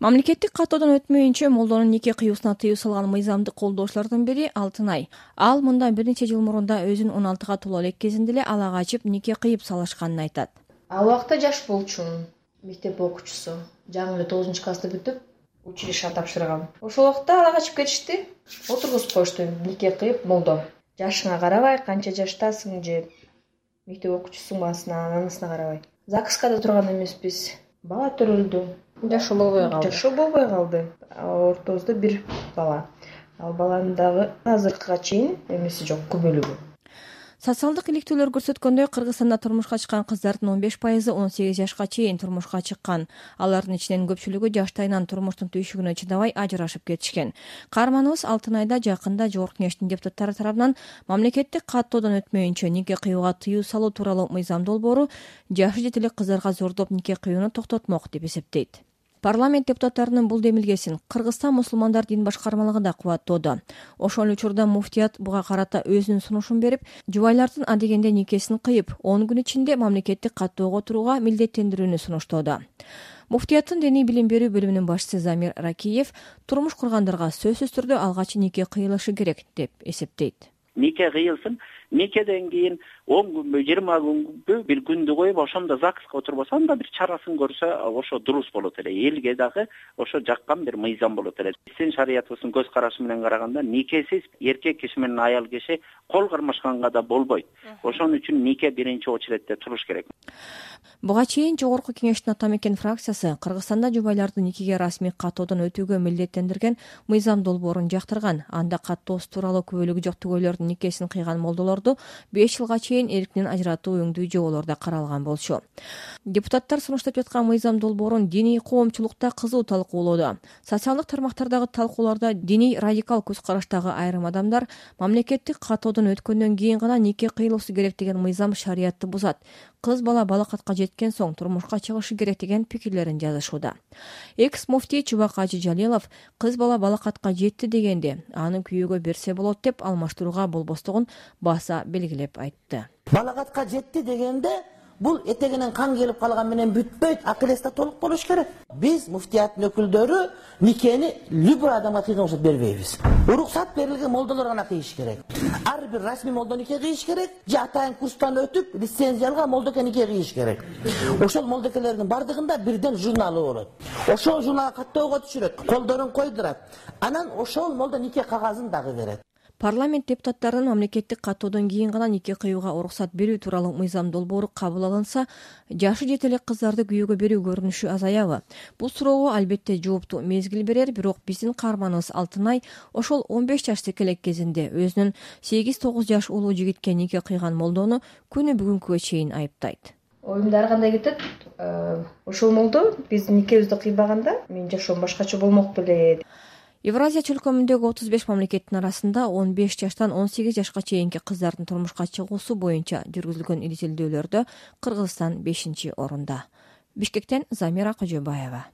Мамлекеттик каттоодон өтмөйүнчө молдонун нике кыюусуна тыюу салган мыйзамды колдоочулардын бири Алтынай. Ал мындан бир нече жыл мурун өзүнүн 16 толо элек кезинде эле ала качып нике кыйып салышканын айтат. Ал убакта жаш болчумун. Мектеп окуучусу. Жаңы эле 9-классты бүтүп, училищеге тапшыргам. Ошол убакта ала качып кетишти. Отургузуп коюшту нике кыйып молдо. Жашыңа карабай, канча жаштасың же мектеп окуучусуңбу анысына карабай. ЗАГСка да турган эмеспиз. Бала төрөлдү. Жашоо болбой калды. Ортобузда бир бала. Ал баланын дагы азыркыга чейин эмеси жок, күбөлүгү. Социалдык иликтөөлөр көрсөткөндөй, Кыргызстанда турмушка чыккан кыздардын 15% 18 жашка чейин турмушка чыккан. Алардын ичинен көпчүлүгү жаштайынан турмуштун түйшүгүнө чыдабай ажырашып кетишкен. Каарманыбыз Алтынайда жакында Жогорку Кеңештин депутаттары тарабынан мамлекеттик каттоодон өтмөйүнчө нике кыюуга тыюу салуу тууралуу мыйзам долбоору жашы жете элек кыздарга зордоп нике кыюуну токтотмок деп эсептейт. Парламент депутаттарынын бул демилгесин Кыргызстан мусулмандар дин башкармалыгы да кубаттоодо. Ошол учурда муфтият буга карата өзүнүн сунушун берип, жубайлардын адегенде никесин кыйып, 10 күн ичинде мамлекеттик каттоого турууга милдеттендирүүнү сунуштоодо. Муфтияттын диний билим берүү бөлүмүнүн башчысы Замир Ракиев турмуш кургандарга сөзсүз түрдө алгач нике кыйылышы керек деп эсептейт. Нике кыйылсын, никеден кийин 10 күнбү, 20 күнбү бир күндү коюп, ошондо ЗАГСка отурбаса, анда бир чарасын көрсө, ошо дурус болот эле. Элге дагы ошо жаккан бир мыйзам болот эле. Биздин шариятыбыздын көз карашы менен караганда, никесиз эркек киши менен аял киши кол кармашканга да болбойт. Ошон үчүн нике биринчи очередде туруш керек. Буга чейин Жогорку Кеңештин Атамекен фракциясы Кыргызстанда жубайларды никеге расмий каттоодон өтүүгө милдеттендирген мыйзам долбоорун жактырган. Анда каттоосу тууралуу күбөлүгү жок түгөйлөрдүн никесин кыйган молдолорду 5 жылга чейин эркинен ажыратуу өңдүү жоболору каралган болчу. Депутаттар сунуштап жаткан мыйзам долбоорун диний коомчулукта кызуу талкуулоодо. Социалдык тармактардагы талкууларда диний радикал көз караштагы айрым адамдар мамлекеттик каттоодон өткөндөн кийин гана нике кыйылуусу керек деген мыйзам шариятты бузат. Кыз бала балакатка жеткен соң турмушка чыгышы керек деген пикирлерин жазышууда. Экс-муфтий Чубак Ажы Жалилов кыз бала балакатка жетти дегенде аны күйөөгө берсе болот деп алмаштырууга болбостугун баса белгилеп айтты. Балакатка жетти дегенде бул этегинен кан келип калган менен бүтпөйт, акыл-эсте толук болуш керек. Биз муфтияттын өкүлдөрү никени любой адамга кыйган уруксат бербейбиз. Уруксат берилген молдолор гана кыйыш керек. Ар бир расмий молдо нике кыйыш керек, же атайын курстан өтүп, лицензия алган молдоке нике кыйыш керек. Ошол молдокелердин бардыгында бирден журналы болот. Ошол журналга каттоого түшүрөт, колдорун койдурат. Анан ошол молдо нике кагазын дагы берет. Парламент депутаттарынын мамлекеттик каттоодон кийин гана нике кыюуга уруксат берүү тууралуу мыйзам долбоору кабыл алынса, жашы жете элек кыздарды күйөөгө берүү көрүнүшү азаябы? Бул суроого албетте жоопту мезгил берер, бирок биздин каарманыбыз Алтынай ошол 15 жаштык элек кезинде өзүнүн 8-9 жаш улуу жигитке нике кыйган молдону күнү бүгүнкүгө чейин айыптайт. Оюмда ар кандай кетет. Ошол молдо биздин никебизди кыйбаганда менин жашоом башкача болмок беле. Евразия чөлкөмүндөгү 35 мамлекеттин арасында 15 жаштан 18 жашка чейинки кыздардын турмушка чыгуусу боюнча жүргүзүлгөн изилдөөлөрдө Кыргызстан 5-орунда. Бишкектен Замира Кожобаева.